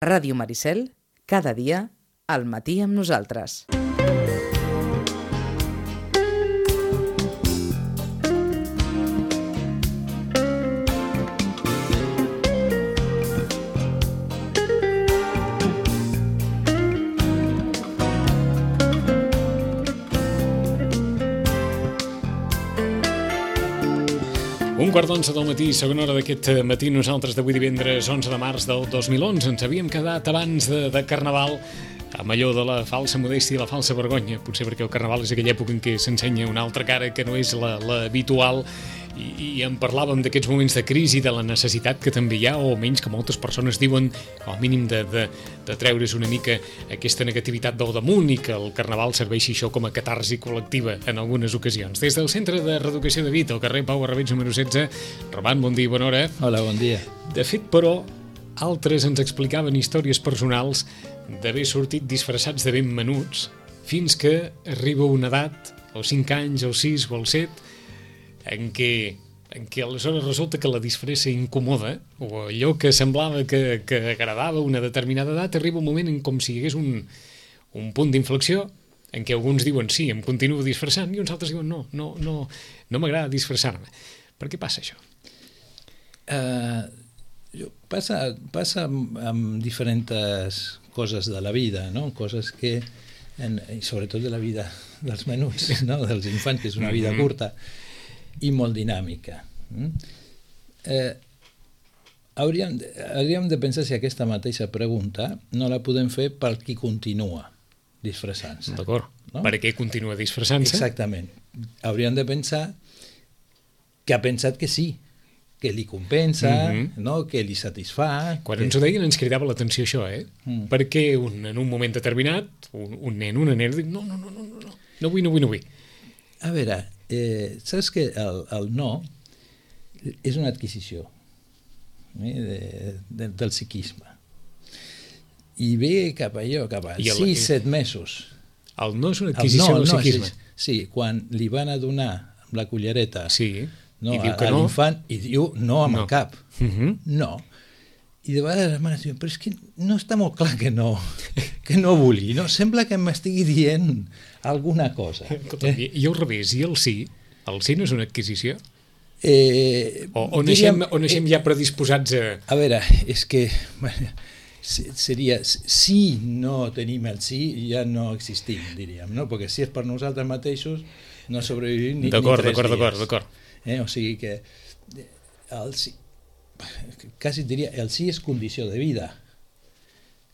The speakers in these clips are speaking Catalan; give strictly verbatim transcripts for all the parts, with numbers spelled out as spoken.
Ràdio Maricel, cada dia, al matí amb nosaltres. Un quart d'onze del matí, segona hora d'aquest matí, nosaltres d'avui divendres onze de març del dos mil onze. Ens havíem quedat abans de, de Carnaval amb allò de la falsa modèstia i la falsa vergonya, potser perquè el Carnaval és aquella època en què s'ensenya una altra cara que no és la, la habitual, i, i en parlàvem d'aquests moments de crisi, de la necessitat que també hi ha, o almenys que moltes persones diuen, al mínim de, de, de treure's una mica aquesta negativitat del damunt, i que el Carnaval serveixi això com a catarsi col·lectiva en algunes ocasions. Des del Centre de Reeducació de Vita, al carrer Pau Arrabets número setze, Roman, bon dia i bona hora. Hola, bon dia. De fet, però, altres ens explicaven històries personals d'haver sortit disfressats de ben menuts fins que arriba una edat, als cinc anys, als sis o als set, en què, en què aleshores resulta que la disfressa incomoda, o allò que semblava que, que agradava una determinada edat, arriba un moment en com si hi hagués un, un punt d'inflexió en què alguns diuen sí, em continuo disfressant, i uns altres diuen no, no, no, no m'agrada disfressar-me. Per què passa això? Uh, passa, passa amb, amb diferents coses de la vida, no? Coses que, en, i sobretot de la vida dels menuts, no? Dels infants, que és una vida curta i molt dinàmica. Eh, hauríem, hauríem de pensar si aquesta mateixa pregunta no la podem fer per qui continua disfressant-se. D'acord. No? Per què continua disfressant-se? Exactament. Hauríem de pensar que ha pensat que sí, que li compensa, mm-hmm. no? Que li satisfà. Quan que... ens ho deien ens cridava l'atenció això, eh? Mm. Perquè un, en un moment determinat, un, un nen, una nena, diu no, no, no, no, no, no vull, no vull, no vull. A veure, eh, saps que el, el no és una adquisició eh, de, de, del psiquisme. I ve cap allò, cap a sis, set mesos. El no és una adquisició no, del no, psiquisme. Sí, sí, quan li van a donar amb la cullereta sí. no, I diu a, que a no. l'infant, i diu no amb no. el cap. Uh-huh. No. I de vegades les mares diuen, però és que no està molt clar que no, que no vulgui, no? Sembla que m'estigui dient alguna cosa. Eh? I al revés, i el sí? El sí no és una adquisició? Eh, o, o naixem, o naixem eh, ja predisposats a... A veure, és que bueno, seria, si no tenim el sí, ja no existim, diríem, no? Perquè si és per nosaltres mateixos, no sobrevivim ni, d'acord, ni tres d'acord, dies. D'acord, d'acord. Eh? O sigui que el sí, quasi diria, el sí és condició de vida.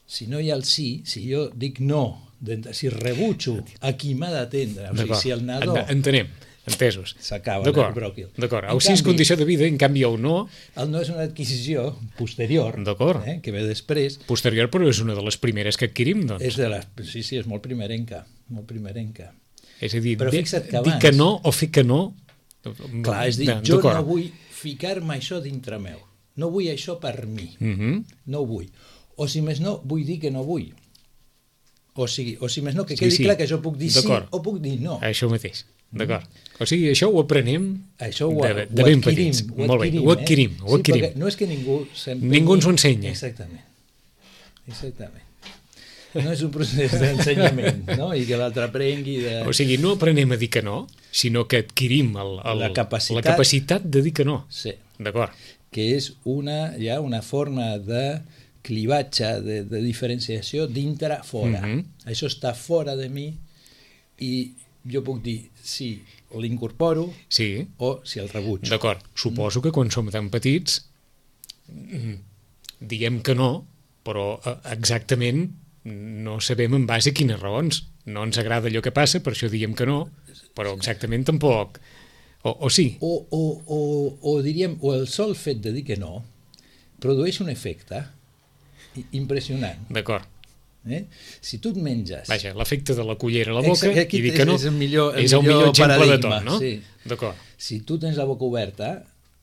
Si no hi ha el sí, si jo dic no, si rebutjo a qui m'ha d'atendre, o sigui, si el nadó... Entenem, entesos. S'acaba el bròquil. D'acord, el sí és condició de vida, en canvi el no... El no és una adquisició posterior, eh, que ve després. Posterior, però és una de les primeres que adquirim, doncs. És de les, sí, sí, és molt primerenca, molt primerenca. És a dir, però de, fixa't que abans... dir que no o fer que no... Clar, és dir, jo no vull ficar-me això dintre meu. No vull això per mi. Uh-huh. No ho vull. O si més no, vull dir que no vull. O sigui, o si més no, que quedi sí, sí. clar que jo puc dir sí o puc dir no. Això mateix, d'acord. Mm. O sigui, això ho aprenem això ho, de, de ho ben adquirim, petits. Ho Molt bé, ho adquirim. Eh? Ho adquirim. Sí, no és que ningú... Ningú ens ho ensenya. Exactament. Exactament. No és un procés d'ensenyament, no? I que l'altre aprengui de... O sigui, no aprenem a dir que no, sinó que adquirim el, el, la, capacitat... la capacitat de dir que no. Sí. D'acord. Que és una, ja una forma de clivatge, de, de diferenciació dintre-fora. Mm-hmm. Això està fora de mi i jo puc dir si l'incorporo sí. o si el rebutjo. D'acord. Suposo que quan som tan petits diem que no, però exactament no sabem en base a quines raons. No ens agrada allò que passa, per això diem que no, però exactament tampoc... O, o sí. O, o, o, o diríem, o el sol fet de dir que no produeix un efecte impressionant. D'acord. Eh? Si tu et menges... Vaja, l'efecte de la cullera a la boca Aquí i dir que no és el millor, el és el millor, millor exemple paradigma, de tot, no? Sí. D'acord. Si tu tens la boca oberta,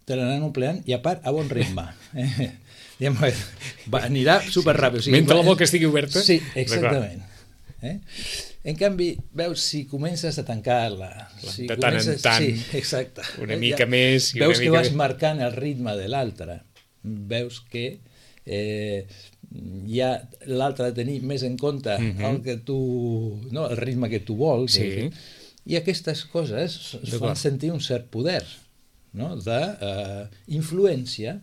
te l'anan omplint i a part a bon ritme. Eh? Va, anirà superràpid. O sigui, mentre la boca estigui oberta? Sí, exactament. Eh? En canvi, veus, si comences a tancar-la... Si de tant comences, en tant, sí, exacte. una mica ja, més... I veus una que mica vas més... marcant el ritme de l'altre. Veus que eh, hi ha l'altre de tenir més en compte uh-huh. el que tu, no, el ritme que tu vols. Sí. I aquestes coses es fan sentir un cert poder, no? D'influència uh,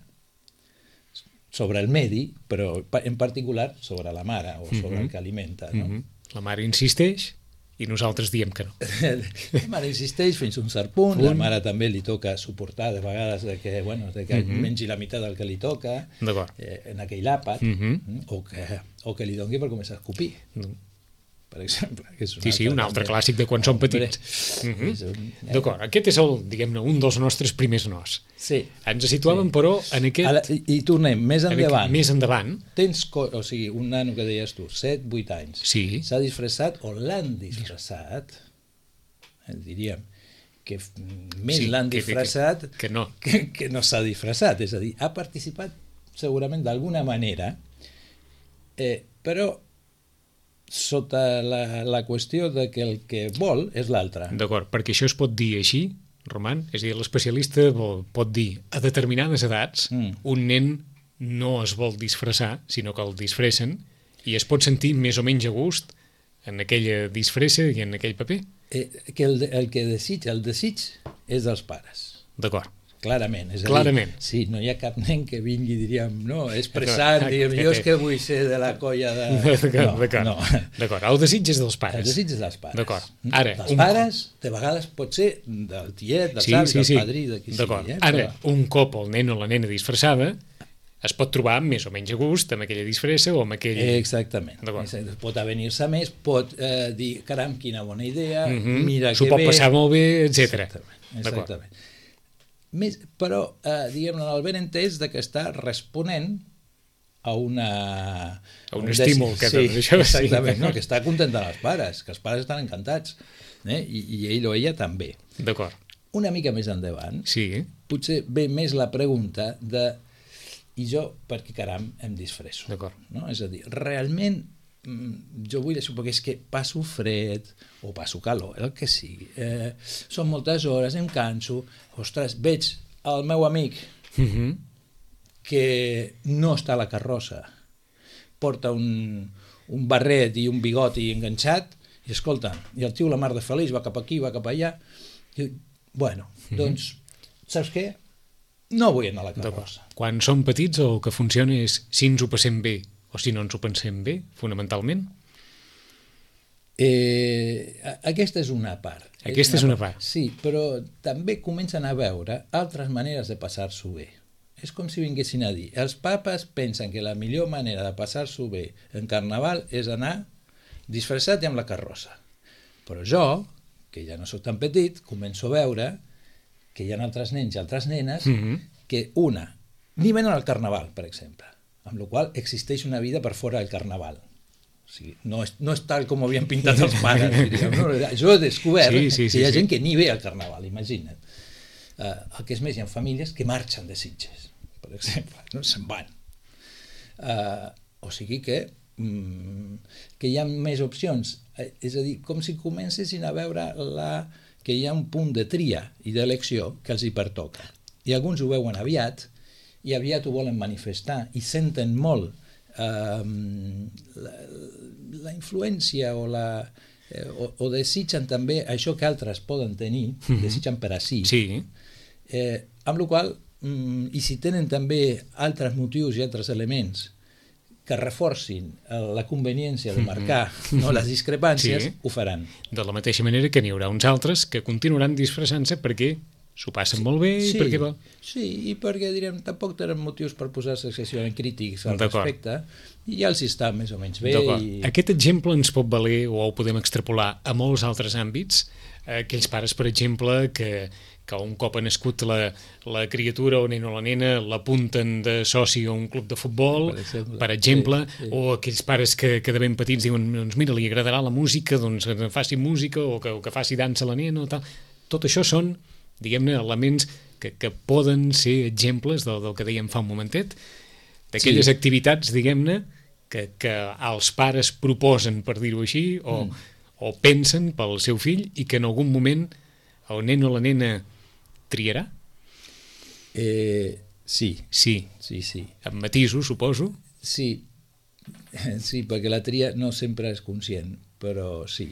sobre el medi, però en particular sobre la mare o sobre uh-huh. el que alimenta. No? Uh-huh. La mare insisteix i nosaltres diem que no. La mare insisteix fins a un cert punt, punt. La mare també li toca suportar de vegades de que, bueno, de que uh-huh. mengi la meitat del que li toca eh, en aquell àpat, uh-huh. o, que, o que li doni per començar a escopir. Uh-huh. Per exemple. Que és un sí, sí, un altre també. Clàssic de quan som petits. Uh-huh. Un... D'acord, aquest és el, diguem-ne, un dels nostres primers nos. Sí. Ens situàvem, sí. però, en aquest... Ara, i, I tornem, més endavant. Aquest, més endavant. Tens, o sigui, un nano que deies tu, set, vuit anys, sí. s'ha disfressat o l'han disfressat, eh, diríem, que més sí, l'han disfressat que, que, que no, que, que no s'ha disfressat. És a dir, ha participat segurament d'alguna manera, eh, però sota la, la qüestió de que el que vol és l'altre. D'acord, perquè això es pot dir així, Roman? És a dir, l'especialista pot dir a determinades edats mm. un nen no es vol disfressar, sinó que el disfressen i es pot sentir més o menys a gust en aquella disfressa i en aquell paper. Eh, que el, el que desig, el desig és dels pares. D'acord. Clarament. És a Clarament. dir, sí, no hi ha cap nen que vingui, diríem, no, expressant, diguem, jo és que vull ser de la colla de... No, d'acord, no. D'acord. El desig és dels pares. El desig és dels pares. D'acord. Ara, dels un... pares, de vegades pot ser del tiet, del sí, savi, sí, del sí. padrí, de qui d'acord. sigui. Eh? Ara, Però... un cop el nen o la nena disfressada es pot trobar més o menys a gust amb aquella disfressa o amb aquell... Exactament. Pot avenir-se més, pot eh, dir, caram, quina bona idea, mm-hmm. mira que bé... S'ho pot passar molt bé, etcètera. Exactament. Exactament. Més, però, eh, diguem-ne, el ben entès de que està responent a una... A un, un estímul que sí, això, exactament, sí. No, que està contentant els pares, que els pares estan encantats, eh? I, i ell o ella també. D'acord. Una mica més endavant, sí. potser ve més la pregunta de i jo per què caram em disfresso? D'acord. No? És a dir, realment jo vull això perquè és que passo fred o passo calor, el que sigui, eh, són moltes hores, em canso, ostres, veig el meu amic mm-hmm. que no està a la carrossa, porta un, un barret i un bigoti enganxat i escolta, i el tio la mar de feliç va cap aquí, va cap allà i, bueno, mm-hmm. doncs saps què? No vull anar a la carrossa. Quan som petits el que funciona és si ens ho passem bé o si no ens ho pensem bé, fonamentalment? Eh, aquesta és una part. Aquesta és una, és una part. part. Sí, però també comencen a veure altres maneres de passar-s'ho bé. És com si vinguessin a dir, els papes pensen que la millor manera de passar-s'ho bé en Carnaval és anar disfressat i amb la carrossa. Però jo, que ja no soc tan petit, començo a veure que hi ha altres nens i altres nenes mm-hmm. que una, ni venen al Carnaval, per exemple, amb la qual existeix una vida per fora del Carnaval. O sigui, no és, no és tal com ho havien pintat els pares, diríem. No? Jo he descobert sí, sí, sí, que hi ha gent sí. que ni ve al Carnaval, imagina't. Uh, el que és més, hi ha famílies que marxen de Sitges, per exemple, no? Se'n van. Uh, o sigui que, mm, que hi ha més opcions. Uh, és a dir, com si comencessin a veure la, que hi ha un punt de tria i d'elecció que els hi pertoca. I alguns ho veuen aviat, i aviat ho volen manifestar i senten molt eh, la, la influència o, la, eh, o, o desitgen també això que altres poden tenir, mm-hmm. desitgen per a si, sí. eh, amb la qual mm, i si tenen també altres motius i altres elements que reforcin la conveniència de marcar mm-hmm. no, les discrepàncies, sí. ho faran. De la mateixa manera que n'hi haurà uns altres que continuaran disfressant-se perquè s'ho passen sí, molt bé i sí, perquè va... Sí, i perquè direm, tampoc tenen motius per posar-se excessivament crítics al respecte i ja els està més o menys bé. I... Aquest exemple ens pot valer o ho podem extrapolar a molts altres àmbits. Aquells pares, per exemple, que, que un cop ha nascut la, la criatura o nen o la nena l'apunten de soci a un club de futbol, per exemple, per exemple sí, sí. o aquells pares que, que de ben petits diuen doncs mira, li agradarà la música, doncs que faci música o que, o que faci dansa la nena o tal. Tot això són diguem-ne, elements que, que poden ser exemples del, del que dèiem fa un momentet, d'aquelles sí. activitats, diguem-ne, que, que els pares proposen, per dir-ho així, o, mm. o pensen pel seu fill i que en algun moment el nen o la nena triarà? Eh, sí. Sí. Sí, sí. Amb matisos, suposo. Sí. Sí, perquè la tria no sempre és conscient, però sí.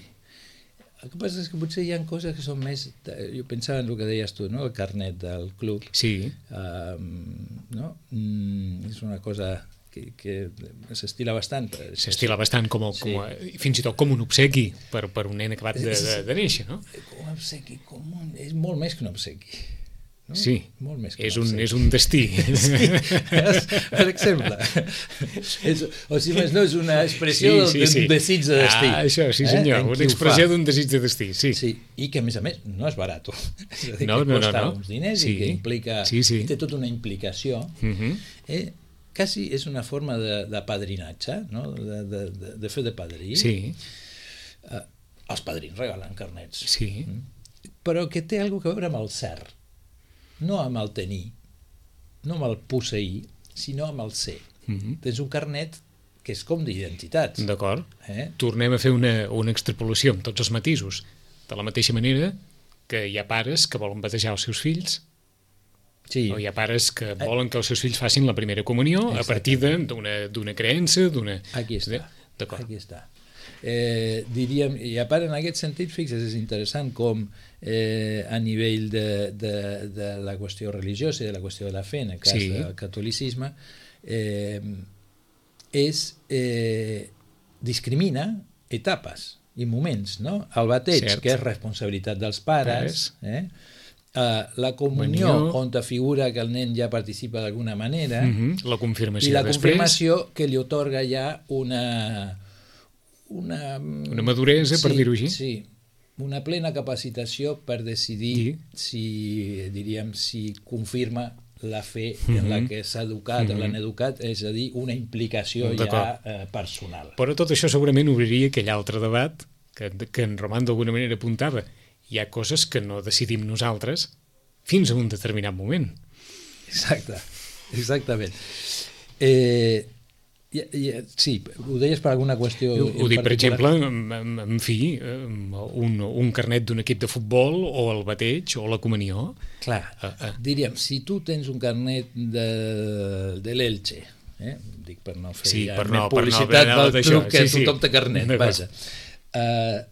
El que passa és que potser hi ha coses que són més... Jo pensava en el que deies tu, no? El carnet del club. Sí. Um, no? Mm, és una cosa que, que s'estila bastant. S'estila bastant com, sí. com a, fins i tot com un obsequi per, per un nen acabat de, de, de néixer, no? Com un obsequi, com un... és molt més que un obsequi. No? Sí, molt més que és, un, un, és un destí. Sí, per exemple. És, o si més no, és una expressió sí, sí, sí. d'un desig de destí. Ah, això, sí senyor, eh? Una expressió d'un desig de destí, sí. Sí. I que a més a més no és barat. És a dir, no, que no, costa no, no. uns diners sí. i que implica... Sí, sí. té tota una implicació. Uh-huh. eh, quasi és una forma de, de padrinatge, no? de, de, de, de fer de padrí. Sí. Eh, els padrins regalen carnets. Sí. Però que té alguna cosa a veure amb el cert. No amb el tenir, no amb el posseir, sinó amb el ser. Mm-hmm. Tens un carnet que és com d'identitats. D'acord. Eh? Tornem a fer una, una extrapolació amb tots els matisos. De la mateixa manera que hi ha pares que volen batejar els seus fills, sí. o hi ha pares que volen que els seus fills facin la primera comunió a partir d'una creença, d'una... Aquí està. Aquí està. Eh, diríem, i a part en aquest sentit, fixa't, és interessant com eh, a nivell de, de, de la qüestió religiosa i de la qüestió de la fe, en el cas sí. del catolicisme, eh, és, eh, discrimina etapes i moments, no? El bateig, cert. Que és responsabilitat dels pares, eh? Uh, la comunió, Manió. On te figura que el nen ja participa d'alguna manera, uh-huh. la confirmació i la després. confirmació que li otorga ja una... Una, una maduresa, sí, per dir-ho així. Sí, una plena capacitació per decidir sí. si, diríem, si confirma la fe mm-hmm. en la que s'ha educat mm-hmm. o l'han educat, és a dir, una implicació ja eh, personal. Però tot això segurament obriria aquell altre debat que, que en Roman d'alguna manera apuntava. Hi ha coses que no decidim nosaltres fins a un determinat moment. Exacte, exactament. Eh... Ja, ja, sí, ho deies per alguna qüestió ho, ho dic, per exemple, en, en, en fi, un, un carnet d'un equip de futbol o el bateig o la comunió. Clar, uh, uh. diríem, si tu tens un carnet de, de l'Elche, eh? dic per no fer sí, ja per no, publicitat per no, del club que sí, tothom té carnet, vaja. Uh,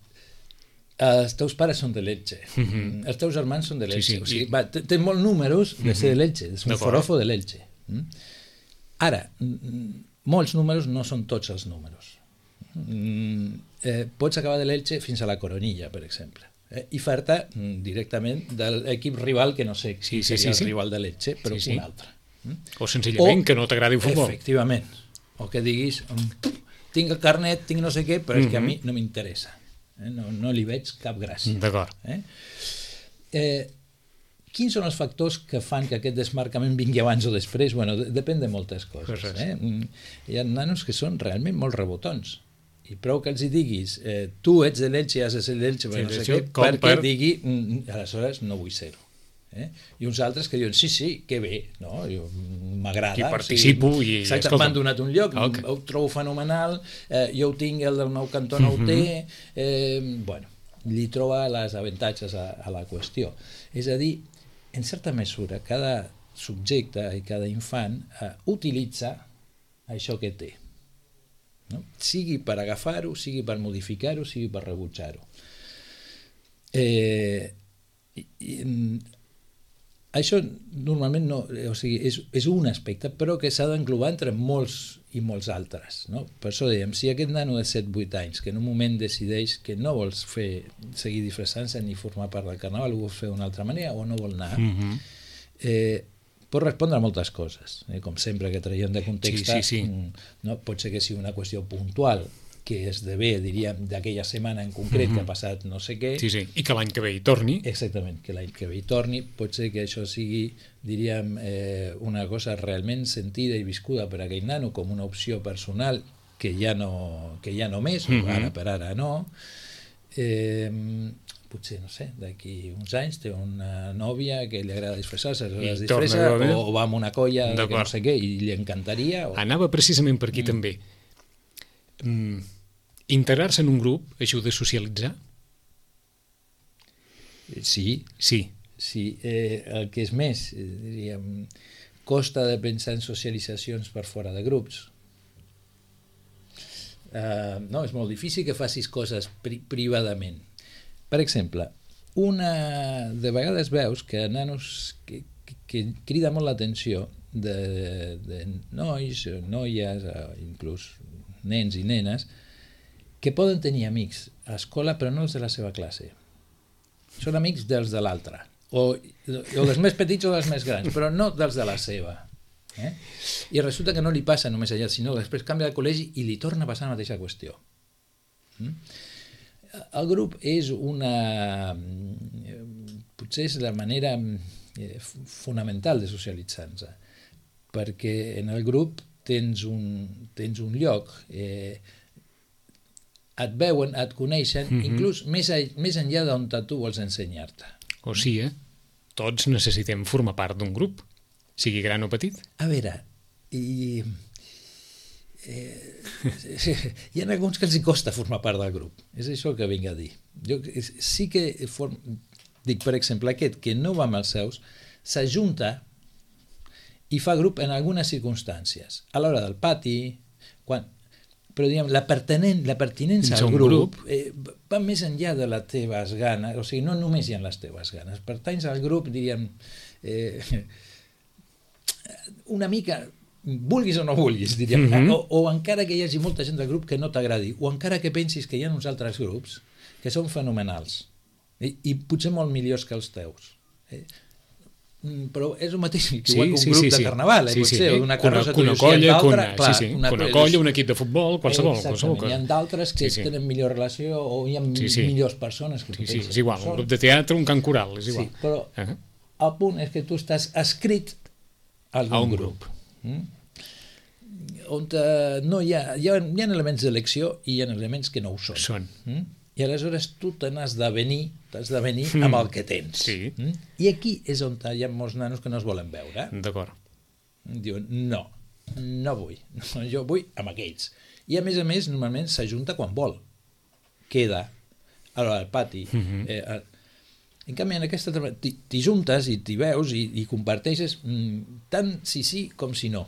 els teus pares són de l'Elche, uh-huh. els teus germans són de l'Elche, sí, sí, o sigui, va, tens molts números de ser de l'Elche, és un forofo de l'Elche. Ara, molts números no són tots els números. Mm, eh, pots acabar de l'Elche fins a la Coronilla, per exemple, eh, i fer-te mm, directament de l'equip rival, que no sé si sí, sí, seria sí, sí. el rival de l'Elche, però sí, sí. un altre. Mm? O senzillament o, que no t'agradi el futbol. Efectivament. O que diguis, tinc el carnet, tinc no sé què, però mm-hmm. és que a mi no m'interessa. Eh? No, no li veig cap gràcia. D'acord. Eh? Eh, Quins són els factors que fan que aquest desmarcament vingui abans o després? Bueno, de, depèn de moltes coses. Eh? Hi ha nanos que són realment molt rebotons. I prou que els hi diguis, eh, tu ets de l'Elche i has de ser de l'Elche, sí, no sé què, perquè per... digui, mm, aleshores no vull ser-ho. Eh? I uns altres que diuen, sí, sí, que bé, no? M'agrada. I participo sí, i... Exacte, m'han donat un lloc, okay. Ho trobo fenomenal, eh, jo ho tinc, el del meu cantó no ho té, eh, bueno, li troba les avantatges a, a la qüestió. És a dir, en certa mesura, cada subjecte i cada infant eh, utilitza això que té. No? Sigui per agafar-ho, sigui per modificar-ho, sigui per rebutjar-ho. Eh, i, i, això normalment no, o sigui, és, és un aspecte, però que s'ha d'englobar entre molts i molts altres. No? Per això dèiem, si aquest nano de set vuit anys, que en un moment decideix que no vols fer, seguir disfressant-se ni formar part del carnaval, ho vols fer d'una altra manera o no vol anar, mm-hmm. eh, pot respondre a moltes coses. Eh? Com sempre que traiem de context, sí, sí, sí. no? Pot ser que sigui una qüestió puntual, que esdevé, diríem, d'aquella setmana en concret mm-hmm. que ha passat no sé què. Sí, sí, i que l'any que ve hi torni. Exactament, que l'any que ve hi torni. Pot ser que això sigui, diríem, eh, una cosa realment sentida i viscuda per aquell nano com una opció personal que ja no, que ja no més, mm-hmm. ara per ara no. Eh, potser, no sé, d'aquí uns anys té una nòvia que li agrada disfressar-se, es disfressa, o va amb una colla que no sé què, i li encantaria. O... Anava precisament per aquí mm. també. Mm. Integrar-se en un grup ajuda a socialitzar? Sí. Sí. Sí. Eh, el que és més, eh, diríem, costa de pensar en socialitzacions per fora de grups. Uh, no, és molt difícil que facis coses pri privadament. Per exemple, una, de vegades veus que nanos que, que, que crida molt l'atenció de, de nois, noies, inclús nens i nenes, que poden tenir amics a escola però no els de la seva classe. Són amics dels de l'altre, o, o dels més petits o dels més grans, però no dels de la seva. Eh? I resulta que no li passa només allà, sinó que després canvia de col·legi i li torna a passar la mateixa qüestió. Mm? El grup és una... potser és la manera fonamental de socialitzar-nos, perquè en el grup tens un, tens un lloc, eh, et veuen, et coneixen, mm-hmm. inclús més, a, més enllà d'on tu vols ensenyar-te. O sigui, eh? Tots necessitem formar part d'un grup, sigui gran o petit. A veure, i, eh, hi ha alguns que els costa formar part del grup, és això que vinc a dir. Jo sí que, form, dic, per exemple, aquest que no va amb els seus, s'ajunta i fa grup en algunes circumstàncies, a l'hora del pati, quan, però diguem, la, pertinent, la pertinença al grup, grup. Eh, va més enllà de les teves ganes, o sigui, no només hi ha les teves ganes, pertanys al grup, diríem, eh, una mica, vulguis o no vulguis, diríem, mm-hmm. o, o encara que hi hagi molta gent del grup que no t'agradi, o encara que pensis que hi ha uns altres grups que són fenomenals, i, i potser molt millors que els teus. Eh? Però és el mateix que igual sí, que un grup sí, sí, de carnaval, eh? sí, Pot sí, ser sí. una carrossa una, una colla, una, clar, sí, sí. una, una colla, un equip de futbol, qualsevol, qualsevol cosa. Hi ha d'altres que sí, sí. tenen millor relació o hi ha sí, sí. millors persones que sí, sí, és igual, un grup de teatre, un cant coral, és igual. Sí, però uh -huh. el punt és que tu estàs escrit a un grup. grup. Mm? On uh, no hi ha, hi ha, hi ha elements d'elecció i hi ha elements que no ho són. Són. Mm? I aleshores tu te n'has de venir, t'has de venir mm. amb el que tens. Sí. Mm? I aquí és on hi ha molts nanos que no es volen veure. D'acord. Diuen, no, no vull, no, jo vull amb aquells. I a més a més, normalment s'ajunta quan vol. Queda al pati. Mm-hmm. eh, en canvi, en aquesta t'hi juntes i t'hi veus i, i comparteixes mm, tant si sí com si no.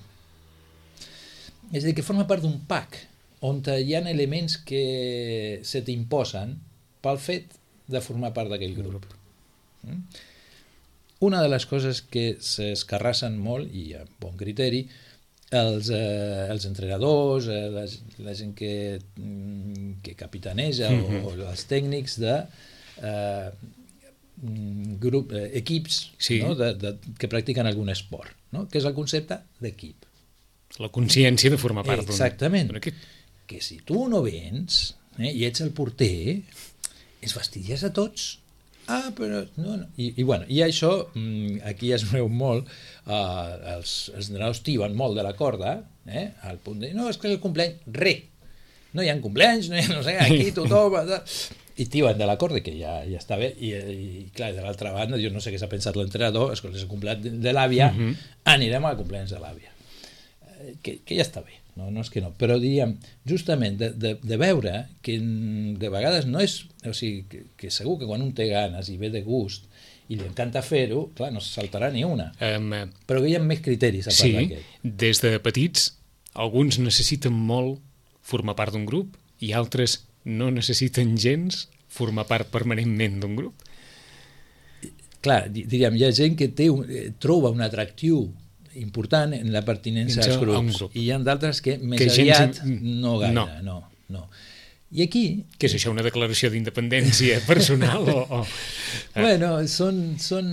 És a dir, que forma part d'un pack on hi ha elements que se t'imposen pel fet de formar part d'aquell grup. Mm? Una de les coses que s'escarrassen molt, i amb bon criteri, els, eh, els entrenadors, eh, la, la gent que, que capitaneja mm-hmm. o, o els tècnics de eh, grup, eh, equips sí. no? de, de, que practiquen algun esport, no? Que és el concepte d'equip. La consciència de formar part d'un equip. Exactament. Que si tu no vens eh, i ets el porter, ens fastidies a tots. Ah, però... No, no. I, i, bueno, i això, aquí es veu molt, eh, els, els entrenadors tiben molt de la corda, eh, al punt de, no, és que el cumpleany, re. No hi ha cumpleanys, no hi ha, no sé, aquí tothom... I tiben de la corda, que ja, ja està bé, i, i clar, de l'altra banda, jo no sé què s'ha pensat l'entrenador, escolta, és el cumpleany de, de l'àvia, uh-huh. anirem al cumpleanys de l'àvia. Eh, que, que ja està bé. No, no és que no, però diríem, justament de, de, de veure que de vegades no és, o sigui, que, que segur que quan un té ganes i ve de gust i li encanta fer-ho, clar, no se saltarà ni una, um, però que hi ha més criteris a part sí, d'aquest. Sí, des de petits, alguns necessiten molt formar part d'un grup i altres no necessiten gens formar part permanentment d'un grup. Clar, diríem, hi ha gent que té un, troba un atractiu important en la pertinença als grups grup. I hi ha d'altres que més que aviat gent... no gaire, no. no, no. I aquí... Què és això, una declaració d'independència personal? o, o... Bueno, són, són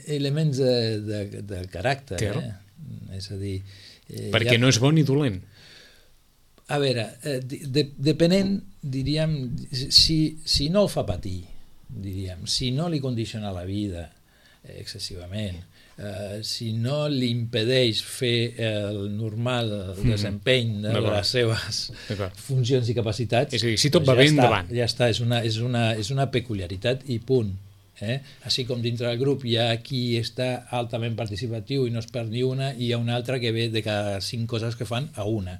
elements de, de, del caràcter. Eh? És a dir... Eh, Perquè ha... no és bo ni dolent. A veure, eh, de, depenent, diríem, si, si no el fa patir, diríem, si no li condiciona la vida eh, excessivament, Uh, si no li impedeix fer el normal el desempeny de les seves funcions i capacitats, és a dir, si tot va bé endavant. Ja està, és una, és una, és una peculiaritat i punt. Eh? Així com dintre del grup hi ha qui està altament participatiu i no es perd ni una, i hi ha un altre que ve de cada cinc coses que fan a una.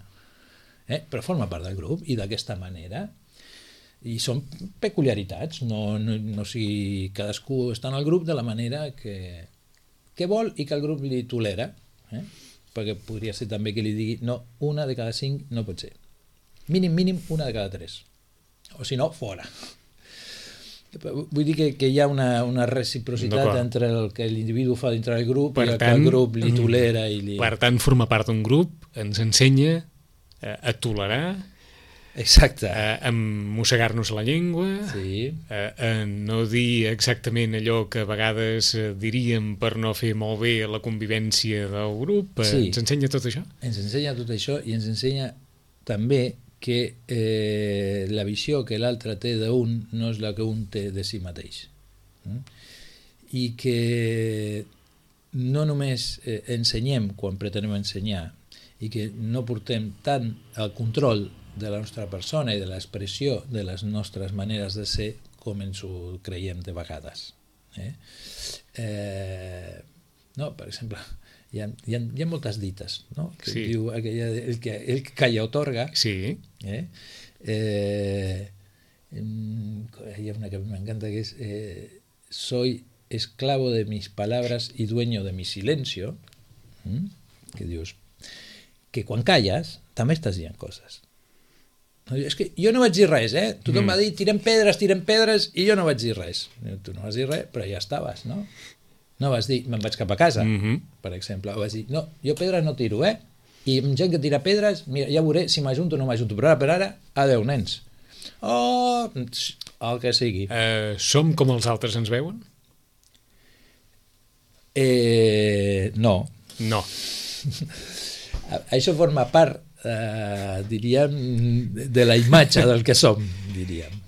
Eh? Però forma part del grup i d'aquesta manera. I són peculiaritats, no, no, no sigui, cadascú està en el grup de la manera que que vol i que el grup li tolera, eh? Perquè podria ser també que li digui no, una de cada cinc no pot ser. Mínim, mínim, una de cada tres. O si no, fora. Vull dir que, que hi ha una, una reciprocitat entre el que l'individu fa dintre del grup per i el tant, que el grup li tolera. I li... Per tant, formar part d'un grup ens ensenya a, a tolerar, exacte, a, a mossegar-nos la llengua, sí. a, a no dir exactament allò que a vegades diríem per no fer molt bé la convivència del grup. Sí. Ens ensenya tot això? Ens ensenya tot això i ens ensenya també que eh, la visió que l'altre té d'un no és la que un té de si mateix. Mm? I que no només eh, ensenyem quan pretenem ensenyar i que no portem tant el control de la nostra persona i de l'expressió de les nostres maneres de ser com ens ho creiem de vegades. Eh? Eh, no, per exemple, hi ha, hi ha, hi ha moltes dites, no? Que sí. Diu aquella, el, que, el que calla otorga. Sí. Eh? Eh, hi ha una que m'encanta que és eh, soy esclavo de mis palabras y dueño de mi silencio. ¿Mm? Que dius que quan calles també estàs dient coses. No, és que jo no vaig dir res, eh? Tothom mm. va dir tirem pedres, tirem pedres i jo no vaig dir res. Tu no vas dir res, però ja estaves, no? No vas dir, me'n vaig cap a casa, mm-hmm. per exemple. O vas dir, no, jo pedres no tiro, eh? I amb gent que tira pedres, mira, ja veuré si m'ajunto o no m'ajunto. Però ara per ara, adeu, nens. Oh, el que sigui. Uh, som com els altres ens veuen? Eh, no. No. Això forma part, eh, diríem, de la imatge del que som, diríem.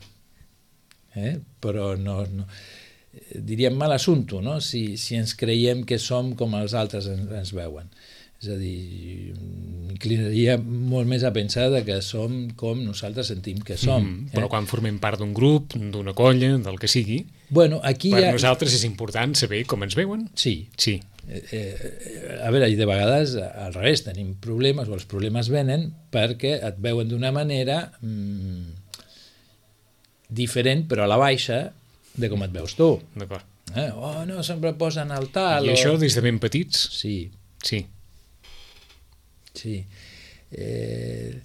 Eh? Però no... no. Diríem mal assumpte, no? si, si ens creiem que som com els altres ens, ens veuen. És a dir, inclinaria molt més a pensar que som com nosaltres sentim que som. Mm, però eh? quan formem part d'un grup, d'una colla, del que sigui, bueno, aquí per ha... nosaltres és important saber com ens veuen. Sí. sí. Eh, eh, a veure, i de vegades al revés, tenim problemes, o els problemes venen perquè et veuen d'una manera mm, diferent, però a la baixa, de com et veus tu. D'acord. Eh? Oh, no, sempre posen el tal... I això o... des de ben petits? Sí. Sí. Sí. Eh,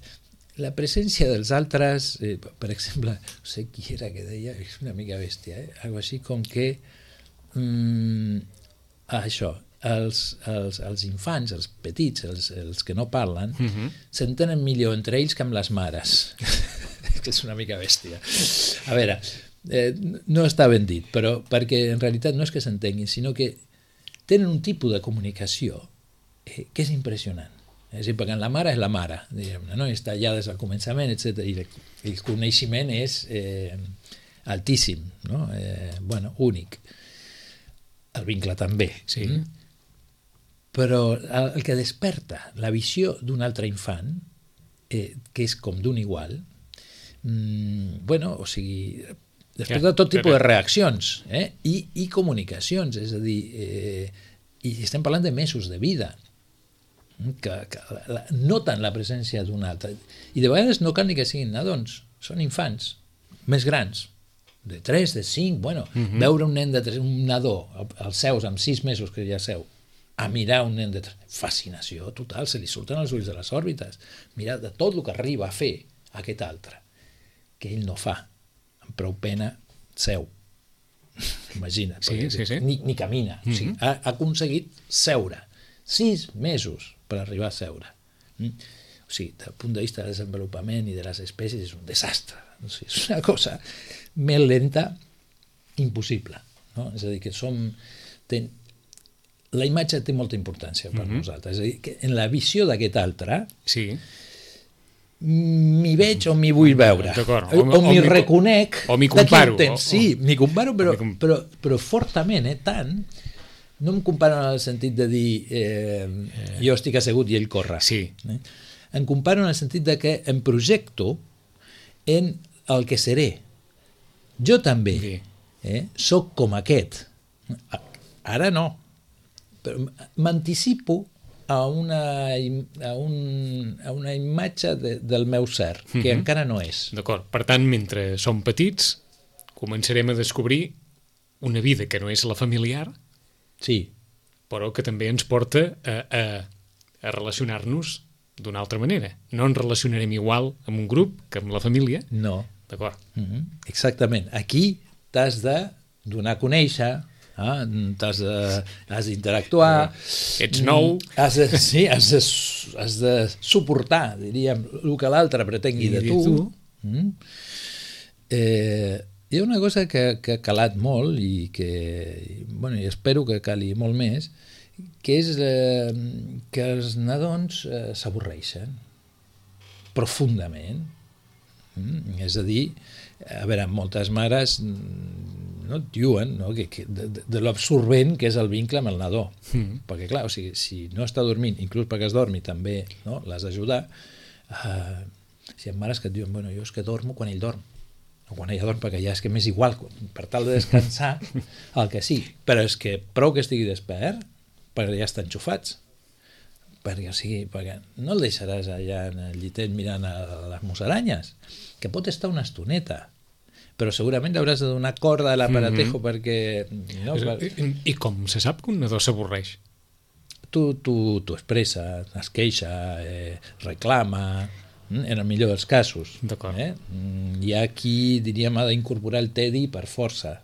la presència dels altres, eh, per exemple, no sé qui era que deia, és una mica bèstia, eh? Algo així com que mm, això, els, els, els infants, els petits, els, els que no parlen, mm-hmm. s'entenen millor entre ells que amb les mares. Que és una mica bèstia. A veure... Eh, no està ben dit, però perquè en realitat no és que s'entenguin, sinó que tenen un tipus de comunicació eh, que és impressionant. És a dir, perquè la mare és la mare, diguem-ne, no? Està allà des del començament, etcètera. I el coneixement és eh, altíssim, no? eh, bueno, únic. El vincle també. Sí. Mm? Però el, el que desperta la visió d'un altre infant, eh, que és com d'un igual, mm, bueno, o sigui... Després de tot tipus de reaccions eh? I, i comunicacions, és a dir, eh, i estem parlant de mesos de vida, que, que la, noten la presència d'un altre. I de vegades no cal ni que siguin nadons, són infants més grans, de tres, de cinc, bueno, mm-hmm. veure un nen de tres, un nadó, als seus, amb sis mesos que ja seu, a mirar un nen de tres, fascinació total, se li surten els ulls de les òrbites, mirar de tot el que arriba a fer aquest altre, que ell no fa. Amb prou pena seu. Imagina't. Sí, sí, sí. Ni, ni camina. Mm-hmm. O sigui, ha, ha aconseguit seure. Sis mesos per arribar a seure. Mm? O sigui, del punt de vista del desenvolupament i de les espècies és un desastre. O sigui, és una cosa més lenta, impossible. No? És a dir, que som... Ten... La imatge té molta importància per mm-hmm. nosaltres. És a dir, que en la visió d'aquest altre... Sí. m'hi veig o m'hi vull veure, o, o, o m'hi reconec, o m'hi comparo, o, sí, m'hi comparo, però, com... però, però fortament, eh, tant, no em comparo en el sentit de dir eh, jo estic assegut i ell corre, sí. eh? Em comparo en el sentit de que em projecto en el que seré. Jo també sí. eh, soc com aquest, ara no, però m'anticipo a una, a un, a una imatge de, del meu ser, que mm-hmm. encara no és. D'acord. Per tant, mentre som petits, començarem a descobrir una vida que no és la familiar, sí. però que també ens porta a, a, a relacionar-nos d'una altra manera. No ens relacionarem igual amb un grup que amb la família. No. D'acord. Mm-hmm. Exactament. Aquí t'has de donar a conèixer, eh? t'has de, has d'interactuar. Ets nou. Has de, sí, has de, has de suportar, diríem, el que l'altre pretengui de tu. tu. Mm? Eh, hi ha una cosa que, que ha calat molt i que, bueno, i espero que cali molt més, que és eh, que els nadons eh, s'avorreixen profundament. Mm? És a dir, a veure, moltes mares no et diuen, no? que, que de, de l'absorbent que és el vincle amb el nadó. Mm. Perquè, clar, o sigui, si no està dormint, inclús perquè es dormi també, no? l'has d'ajudar. Uh, si hi ha mares que et diuen, bueno, jo és que dormo quan ell dorm, o quan ella dorm, perquè ja és que m'és igual, per tal de descansar, el que sí. Però és que prou que estigui despert, perquè ja estan enxufats. Perquè, o sigui, perquè no el deixaràs allà en el llitet mirant a les musaranyes, que pot estar una estoneta, però segurament hauràs de donar corda a l'aparatejo mm-hmm. perquè... No, per... I, I com se sap que un nadó s'avorreix? Tu, tu, tu expressa, es queixa, eh, reclama, en el millor dels casos. D'acord. Eh? Hi ha qui, diríem, ha d'incorporar el tedi per força.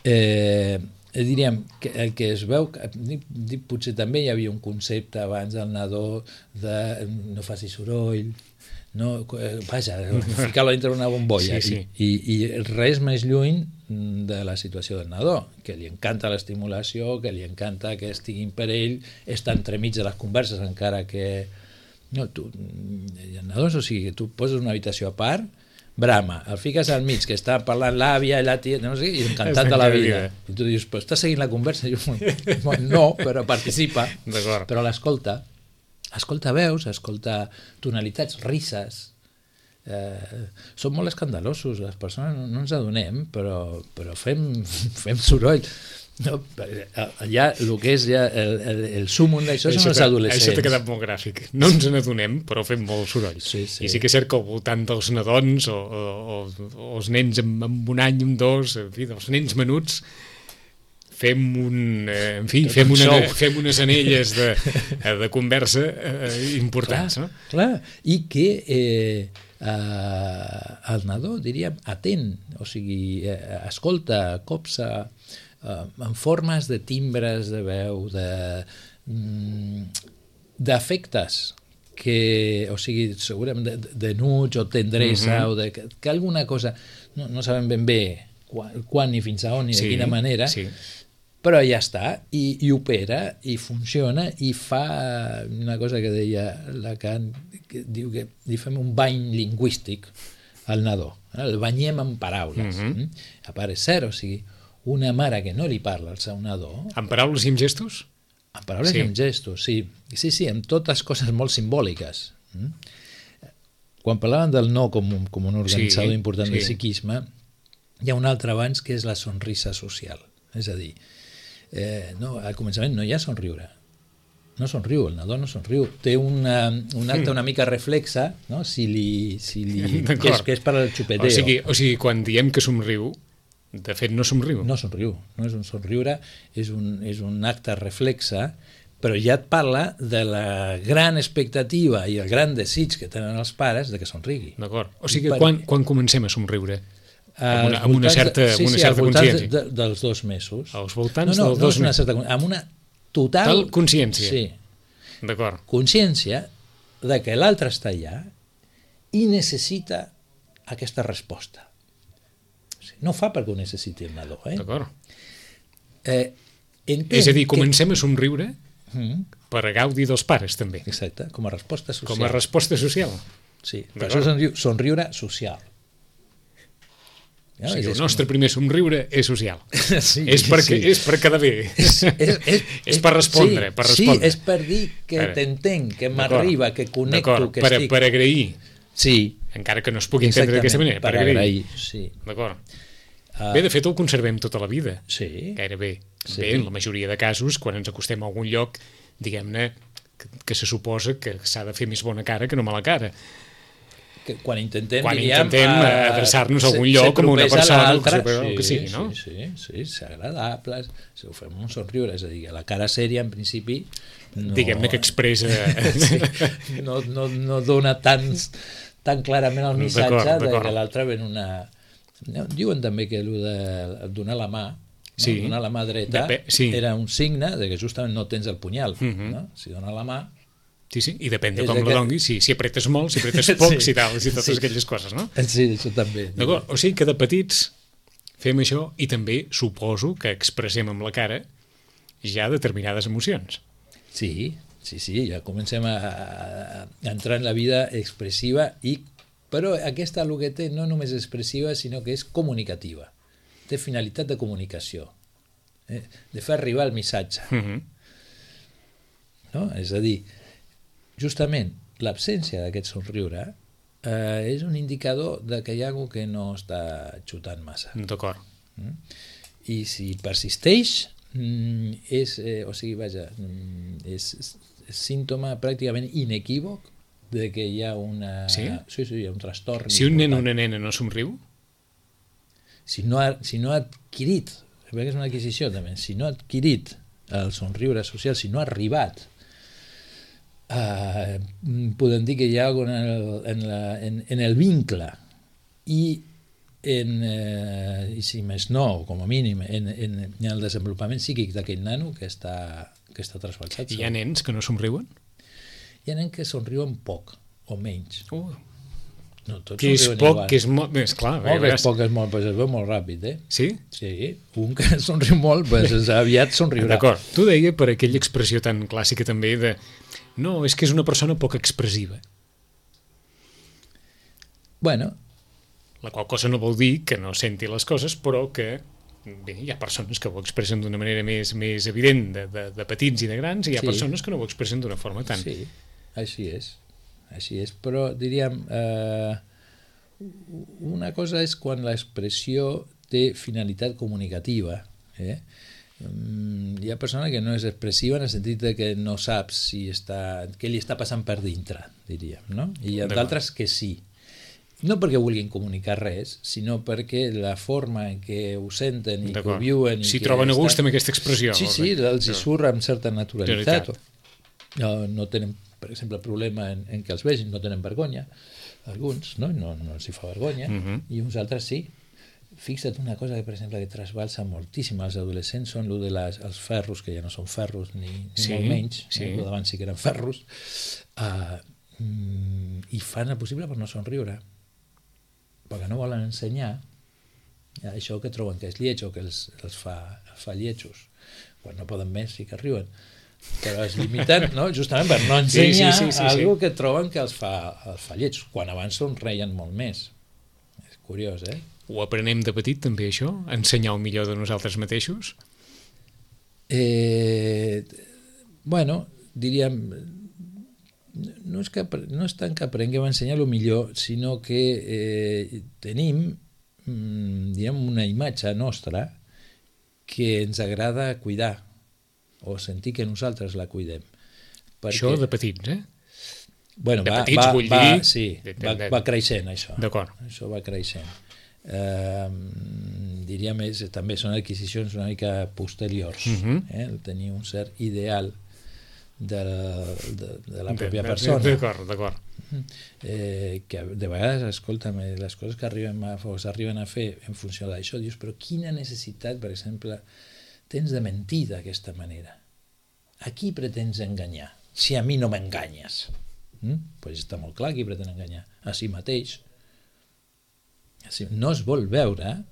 Eh... diríem que el que es veu, potser també hi havia un concepte abans del nadó de no faci soroll, no, vaja, ficar-lo dintre una bombolla, sí, sí. I, i, i res més lluny de la situació del nadó, que li encanta l'estimulació, que li encanta que estiguin per ell, està entremig de les converses, encara que no, tu, el nadó, o sigui, tu poses una habitació a part, brama, el fiques al mig, que està parlant l'àvia i la tia, no sé, i encantat de la vida. I tu dius, però estàs seguint la conversa? I jo, no, però participa, però l'escolta. Escolta veus, escolta tonalitats, risses. Eh, són molt escandalosos, les persones no, no ens adonem, però, però fem, fem soroll. No, allà el que és ja el, el, el súmum d'això són els adolescents. Això t'ha quedat molt gràfic. No ens n'adonem, però fem molt soroll. Sí, sí. I sí que és cert que al voltant dels nadons o, o, o els nens amb, amb un any, amb dos, en fi, dels nens menuts, fem un, eh, en fi, fem, una, fem unes anelles de, de conversa eh, importants. Clar, no? clar. I que eh, eh, el nadó, diríem, atent, o sigui, eh, escolta, copsa, Uh, en formes de timbres de veu, de mm, d'efectes que, o sigui, segurament de, de nuig o tendresa, mm-hmm. o de, que, que alguna cosa, no, no sabem ben bé quan, quan ni fins a on ni sí, de quina manera, sí. Però ja està, i, i opera, i funciona, i fa una cosa que deia Lacan, que diu que li fem un bany lingüístic al nadó, el banyem en paraules. Mm-hmm. A part és cert, o sigui, una mare que no li parla al seu nadó... Amb paraules i amb gestos? Amb paraules sí. i amb gestos, sí. Sí, sí, amb totes coses molt simbòliques. Quan parlaven del no com un, com un organitzador sí, important sí. del psiquisme, hi ha un altre abans que és la sonrisa social. És a dir, eh, no, al començament no hi ha somriure. No somriu, el nadó no somriu. Té una, un acte una mica reflexa, no? si li, si li, que, és, que és per al xupeteo. O sigui, o sigui, quan diem que somriu, de fet no somriu. No somriu, no és un somriure, és un, és un acte reflexa, però ja et parla de la gran expectativa i el gran desig que tenen els pares de que somrigui. D'acord. O sigui, per... quan, quan comencem a somriure? Amb una, amb una certa, de, sí, amb una sí, certa consciència? De, de, dels dos mesos. Als voltants no, no, dels no dos una mesos? Certa, amb una total... Tal consciència? Sí. D'acord. Consciència de que l'altre està allà i necessita aquesta resposta. No fa perquè ho necessiti el nadó. Eh? D'acord. Eh, és a dir, comencem que... a somriure mm. per a gaudir dels pares, també. Exacte, com a resposta social. Com a resposta social. Sí, per això somriu, somriure social. Ja, o sigui, el nostre com... primer somriure és social. Sí, és, perquè, sí. és per quedar bé. És, és, és, és per respondre. Sí, per respondre. Sí, és per dir que t'entenc, que m'arriba, que connecto, que per, estic... Per agrair. Sí. Encara que no es pugui entendre d'aquesta manera. Per agrair, agrair sí. D'acord. Uh, Bé, de fet, el conservem tota la vida. Sí. Gairebé. Sí. Bé, en la majoria de casos, quan ens acostem a algun lloc, diguem-ne, que, que se suposa que s'ha de fer més bona cara que no mala cara. que quan intentem, quan diríem, intentem eh, adreçar-nos a algun se- lloc se com una tropessa persona l'altre. o el que Sí, sigui, no? Sí, sí, sí, ser agradables, si ho fem un somriure, és a dir, la cara sèria en principi no, diguem-ne que expressa... sí, no, no, no dona tan, tan clarament el missatge D'acord, de d'acord. que l'altre ven una... Diuen també que el de donar la mà, no? Sí. Donar la mà dreta Depe- sí. era un signe de que justament no tens el punyal. Mhm. No? Si dones la mà... Sí, sí, i depèn de És com aquest- la donguis, si, si apretes molt, si apretes poc, Sí. si tal, si totes Sí. aquelles coses, no? Sí, això també. D'acord, o sigui que de petits fem això i també suposo que expressem amb la cara ja determinades emocions. Sí, sí, sí, ja comencem a, a entrar en la vida expressiva, i, però aquesta el que té no només expressiva, sinó que és comunicativa. Té finalitat de comunicació, eh? de fer arribar el missatge. Uh -huh. No? És a dir, justament l'absència d'aquest somriure eh, és un indicador de que hi ha algú que no està xutant massa. D'acord. I si persisteix, mm, és, eh, o sigui, vaja, mm, és, és, és símptoma pràcticament inequívoc de que hi ha una... Sí? Sí, sí, hi ha un trastorn. Si un nen o important. una nena no somriu, Si no ha, si no ha adquirit, perquè és una adquisició també, si no ha adquirit el somriure social, si no ha arribat, eh, podem dir que hi ha alguna en el, en la, en, en el vincle i en, eh, i si més no, com a mínim, en, en, en el desenvolupament psíquic d'aquell nano que està, que està trasbalsat. hi ha nens que no somriuen? Hi ha nens que somriuen poc o menys. Uh, No, tots que és somriuen poc, igual. que és molt... És clar, Molt, que veuràs. és poc, és molt, però es veu molt ràpid, eh? Sí? Sí, un que somriu molt, pues, aviat somriurà. D'acord. Tu deia per aquella expressió tan clàssica també de no, és que és una persona poc expressiva. Bueno, La qual cosa no vol dir que no senti les coses, però que bé, hi ha persones que ho expressen d'una manera més, més evident de, de, de petits i de grans, i hi ha Sí. persones que no ho expressen d'una forma tan... sí, així és. Així és, però diríem, eh, una cosa és quan l'expressió té finalitat comunicativa. Eh? Mm, Hi ha persona que no és expressiva en el sentit de que no saps si està, què li està passant per dintre, diríem, no? I hi ha D'acord. d'altres que sí. No perquè vulguin comunicar res, sinó perquè la forma en què ho senten i que ho D'acord. viuen... i Si que troben a gust estan- amb aquesta expressió. Sí, sí, els hi surt amb certa naturalitat. Veritat. No, no tenen, per exemple, problema en, en que els vegin, no tenen vergonya, alguns, no? No, no els hi fa vergonya, Mhm. i uns altres sí. Fixa't una cosa que, per exemple, que trasbalsa moltíssim als adolescents, són lo de les, els ferros, que ja no són ferros ni, ni Sí, molt menys, sí. eh? Lo d'abans sí que eren ferros, uh, mm, i fan el possible per no somriure, perquè no volen ensenyar això que troben que és lleig o que els, els, fa, els fa lletjos. Quan no poden més sí que riuen, però es limiten, no? Justament per no Sí, sí, ensenyar sí, sí, sí. algo que troben que els fa, els fa lletjos, quan abans somreien molt més. És curiós, eh? Ho aprenem de petit també això? Ensenyar el millor de nosaltres mateixos? Eh, bueno, diríem, no és, que, no és tant que aprenguem a ensenyar el millor, sinó que eh, tenim mm, diríem, una imatge nostra que ens agrada cuidar o sentir que nosaltres la cuidem. Perquè, Això de petits, eh? bueno, de va, petits, va, vull va, dir, sí, de- de- va, de- va creixent això. D'acord. Això va creixent. Eh, diríem, és, també són adquisicions una mica posteriors, Mhm. eh? El tenir un cert ideal de, de, de la De- pròpia de- persona. D'acord, d'acord. Eh, que de vegades, escolta'm, eh, les coses que arriben a, o s'arriben a fer en funció d'això, dius, però quina necessitat, per exemple, tens de mentir d'aquesta manera? A qui pretens enganyar? Si a mi no m'enganyes. Mm? Pues està molt clar qui pretén enganyar. A si mateix. Així, no es vol veure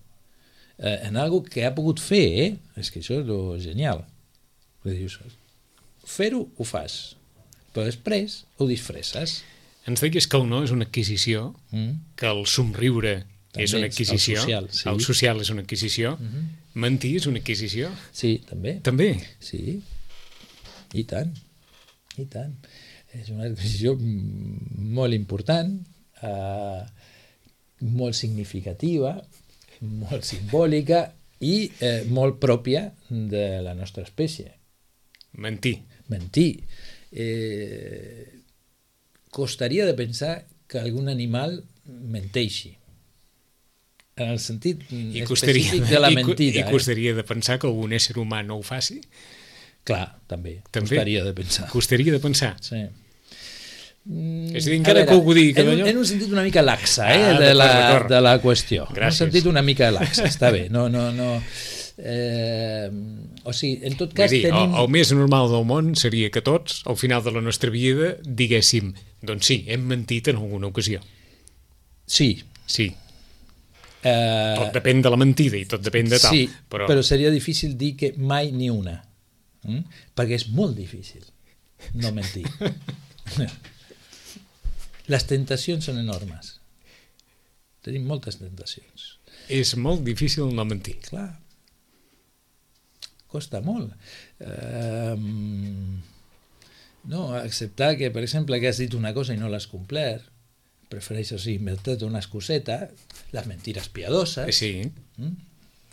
eh, en algo que ha pogut fer, eh? És que això és lo genial. Dius, fer-ho ho fas, però després ho disfresses. Ens deies que el no és una adquisició, Mm? que el somriure També és una el adquisició, social, sí. el social és una adquisició, Mhm. mentir és una adquisició, Sí, també. també. Sí, i tant, i tant. És una decisió mm, molt important, eh, molt significativa, molt simbòlica i eh, molt pròpia de la nostra espècie. Mentir. Mentir. Eh, costaria de pensar que algun animal menteixi. En el sentit I específic costaria, de la i, mentida. I costaria eh? de pensar que algun ésser humà no ho faci? Clar, també. També? Costaria de pensar. Costaria de pensar. Sí. Mm, és a dir, encara que algú digui que en, d'allò... en un sentit una mica laxa, eh, Ah, de, la, d'acord. de la qüestió. Gràcies. En un sentit una mica laxa, està bé. No, no, no... Eh, o sigui, en tot cas Vull dir, tenim... el, el més normal del món seria que tots, al final de la nostra vida, diguéssim, doncs sí, hem mentit en alguna ocasió. Sí. Sí. Eh, Tot depèn de la mentida i tot depèn de tal. sí, però... però seria difícil dir que mai ni una. Mm? Perquè és molt difícil no mentir. Les tentacions són enormes. Tenim moltes tentacions. És molt difícil no mentir. Clar. Costa molt. Eh, no, acceptar que, per exemple, que has dit una cosa i no l'has complert, prefereixes inventar-te una excuseta, les mentires piadoses. Sí. Mm?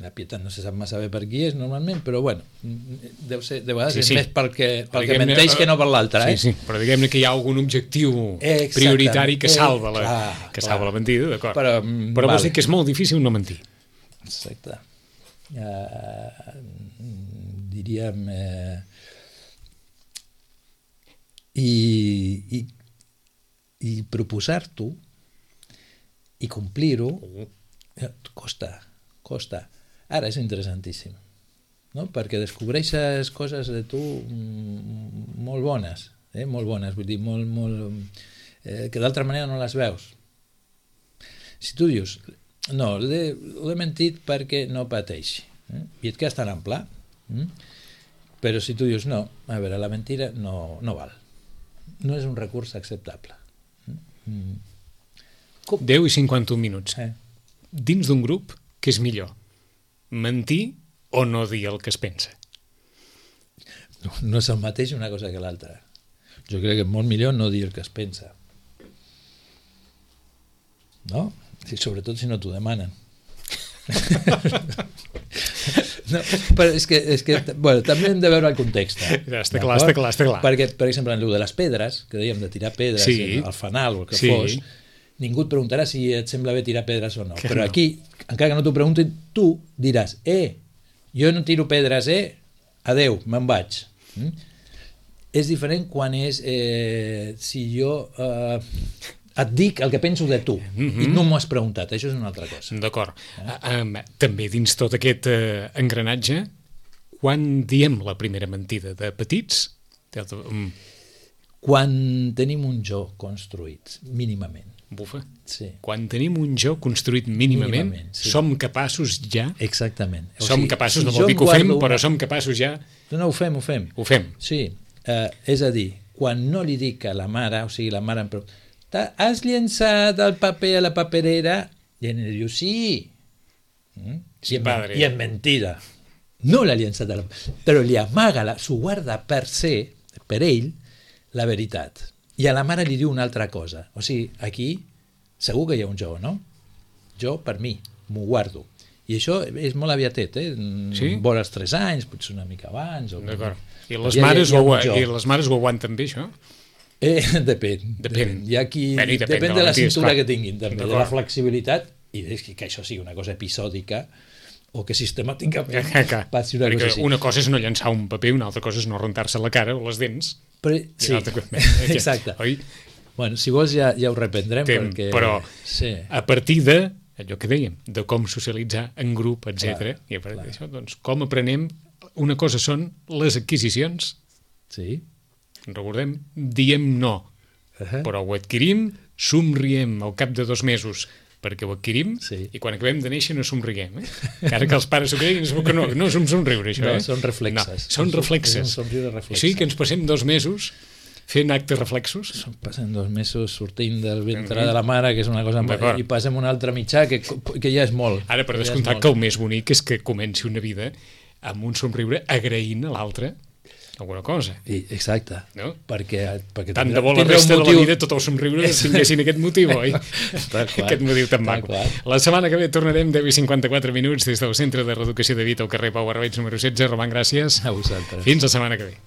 La pietat no se sap massa bé per qui és normalment, però bueno, deu ser, de vegades Sí, és sí. més perquè, pel que Diguem-ne, menteix que no per l'altre, eh? Sí, sí, però diguem-ne que hi ha algun objectiu Exactament. prioritari que Eh, salva la, clar, que clar. salva la mentida, d'acord. Però, Però, mm, però vols vale. dir que és molt difícil no mentir. Exacte. Uh, diríem... Eh, i, i, i proposar-t'ho i complir-ho eh, costa, costa. Ara és interessantíssim, no? Perquè descobreixes coses de tu mm, molt bones, eh? molt bones, vull dir, molt, molt, eh, que d'altra manera no les veus. Si tu dius, no, l'he l'he mentit perquè no pateixi, eh? I et quedes tan ample, eh? Però si tu dius, no, a veure, la mentira no, no val, no és un recurs acceptable. Mm. Com? deu i cinquanta-un minuts. Eh? Dins d'un grup, què és millor? Mentir o no dir el que es pensa? No, no és el mateix una cosa que l'altra. Jo crec que és molt millor no dir el que es pensa. No? Sí, sobretot si no t'ho demanen. No, però és que, és que bueno, també hem de veure el context. Ja, està clar, està clar, està clar. Perquè, per exemple, en el de les pedres, que dèiem de tirar pedres, Sí. al fanal o el que Sí. fos, ningú et preguntarà si et sembla bé tirar pedres o no. Que Però no. aquí, encara que no t'ho preguntin, tu diràs, eh, jo no tiro pedres, eh, adeu, me'n vaig. Mm? És diferent quan és, eh, si jo eh, et dic el que penso de tu Mhm. i no m'ho has preguntat, això és una altra cosa. D'acord. Um, també dins tot aquest uh, engranatge, quan diem la primera mentida? De petits? De, de, um, Quan tenim un jo construït, mínimament. bufa. Sí, Quan tenim un jo construït mínimament, Mínimament, sí. som capaços ja... exactament. O som sigui, capaços, si no jo vol dir em que ho fem, guardo però una- som capaços ja... No, no, ho fem, ho fem. Ho fem. Sí, eh, és a dir, quan no li dic a la mare, o sigui, la mare em pregunta, "T'ha- has llençat el paper a la paperera? I ell diu, sí. Mm? Sí, I, en, padre. I en mentida. No l'ha llençat a la... Però li amaga, la, s'ho guarda per ser, per ell, la veritat. I a la mare li diu una altra cosa. O sigui, aquí segur que hi ha un jo, no? Jo, per mi, m'ho guardo. I això és molt aviatet, eh? Sí? Vora els tres anys, potser una mica abans. O... D'acord. I les, Hi ha- mares hi ha ho, un jo. I les mares ho aguanten bé, això? Eh, depèn. Depèn. Hi ha qui... Bueno, i depèn depèn de de la la mentida, cintura esclar. que tinguin, també, de la D'acord. flexibilitat, i és que, que això sigui una cosa episòdica o que sistemàticament Que, que, passi una perquè cosa així. una cosa és no llançar un paper, una altra cosa és no rentar-se la cara o les dents. Però, I sí, una altra cosa- exacte. Oi? Bueno, si vols ja, ja ho reprendrem, Tem, perquè... però Sí. a partir de allò que dèiem, de com socialitzar en grup, etcètera. Clar, I a partir clar. d'això, doncs, com aprenem... Una cosa són les adquisicions, Sí. recordem, diem no, Uh -huh. però ho adquirim, somriem al cap de dos mesos perquè ho adquirim, Sí. i quan acabem de néixer no somriguem. Eh? Encara que els pares s'ho creguin, és que no, no és un somriure, això. No, eh? són reflexes. No, són És un- reflexes. és un somriure reflexe. O sigui que ens passem dos mesos fent actes reflexos. Passen dos mesos sortint del ventre Mhm. de la mare, que és una cosa... D'acord. I passem un altre mitjà, que, que ja és molt. Ara, per Ja és descomptat, molt. que el més bonic és que comenci una vida amb un somriure agraint a l'altre alguna cosa. I, exacte. No? Perquè, perquè Tant tindrà- de bo la tindrà un resta de la motiu- vida tot el somriure tinguessin aquest motiu, oi? Tal qual, Aquest motiu tan tal maco. qual. La setmana que ve tornarem deu i cinquanta-quatre minuts des del Centre de Reeducació de Vita al carrer Pau Arbells número setze. Roman, gràcies. A vosaltres. Fins la setmana que ve.